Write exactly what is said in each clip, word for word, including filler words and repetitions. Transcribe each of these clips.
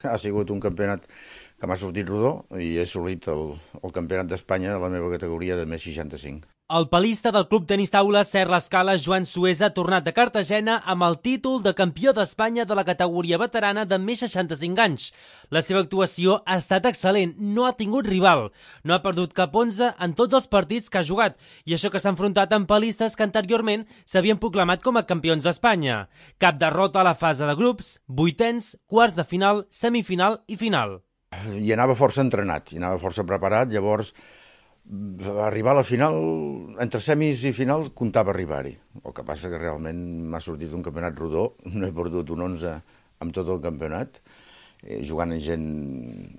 Ha sigut un campionat que m'ha sortit rodó i he assolit el, el campionat d'Espanya a la meva categoria de més seixanta-cinc. El palista del Club Tenis Taula Ser l'Escala, Joan Suesa, ha tornat a Cartagena amb el títol de campió d'Espanya de la categoria veterana de més seixanta-cinc anys. La seva actuació ha estat excel·lent, no ha tingut rival, no ha perdut cap onze en tots els partits que ha jugat, i això que s'ha enfrontat amb palistes que anteriorment s'havien proclamat com a campions d'Espanya. Cap derrota a la fase de grups, vuitens, quarts de final, semifinal i final. I anava força entrenat, i anava força preparat, llavors arribar a la final, entre semis i final, comptava arribar-hi. El que passa que realment m'ha sortit un campionat rodó, no he perdut un onze amb tot el campionat, eh, jugant amb gent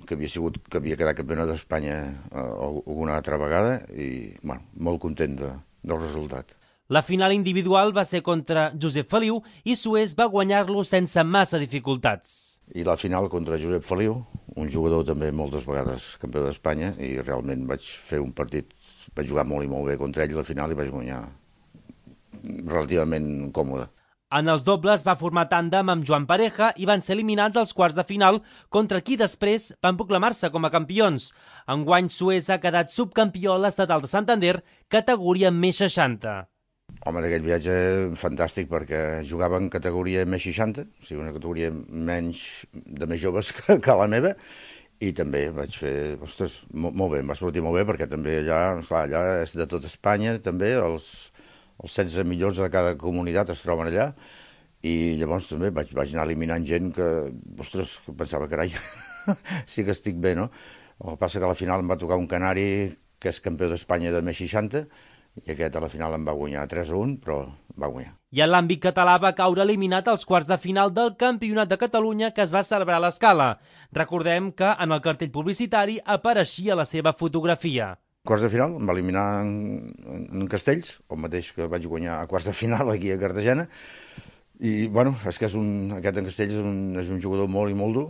que havia sigut, que havia quedat campiona d'Espanya eh, alguna altra vegada, i bueno, molt content de, del resultat. La final individual va ser contra Josep Feliu i Suez va guanyar-lo sense massa dificultats. I la final contra Josep Feliu, un jugador també moltes vegades campió d'Espanya, i realment vaig fer un partit, vaig jugar molt i molt bé contra ell a la final i vaig guanyar relativament còmode. En els dobles va formar tàndem amb Joan Pareja i van ser eliminats als quarts de final, contra qui després van proclamar-se com a campions. Enguany Suez ha quedat subcampió a l'Estatal de Santander, categoria més seixanta. Home, d'aquell viatge fantàstic, perquè jugava en categoria més seixanta, o sigui, una categoria menys de més joves que, que la meva, i també vaig fer, ostres, molt, molt bé, em va sortir molt bé, perquè també allà, esclar, allà és de tot Espanya, també, els, els setze millors de cada comunitat es troben allà, i llavors també vaig, vaig anar eliminant gent que, ostres, que pensava, carai, sí que estic bé, no? El que passa que a la final em va tocar un canari que és campió d'Espanya de més seixanta, i aquest a la final em va guanyar tres a un, però va guanyar. I en l'àmbit català va caure eliminat als quarts de final del Campionat de Catalunya que es va celebrar a l'Escala. Recordem que en el cartell publicitari apareixia la seva fotografia. Quarts de final em va eliminar en, en Castells, el mateix que vaig guanyar a quarts de final aquí a Cartagena, i bueno, és que és un, aquest en Castells és un, és un jugador molt i molt dur,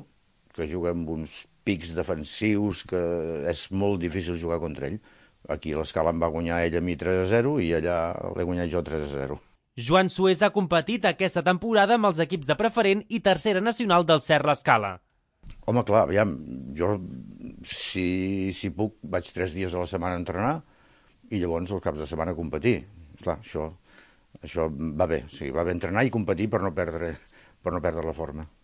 que juga amb uns pics defensius que és molt difícil jugar contra ell. Aquí a l'Escala em va guanyar ell a mi tres a zero i allà l'he guanyat jo tres a zero. Joan Suez ha competit aquesta temporada amb els equips de preferent i tercera nacional del Ser l'Escala. Home, clar, aviam, jo si, si puc vaig tres dies a la setmana a entrenar i llavors els caps de setmana a competir. Clar, això, això va bé, o sigui, va bé entrenar i competir per no perdre, per no perdre la forma.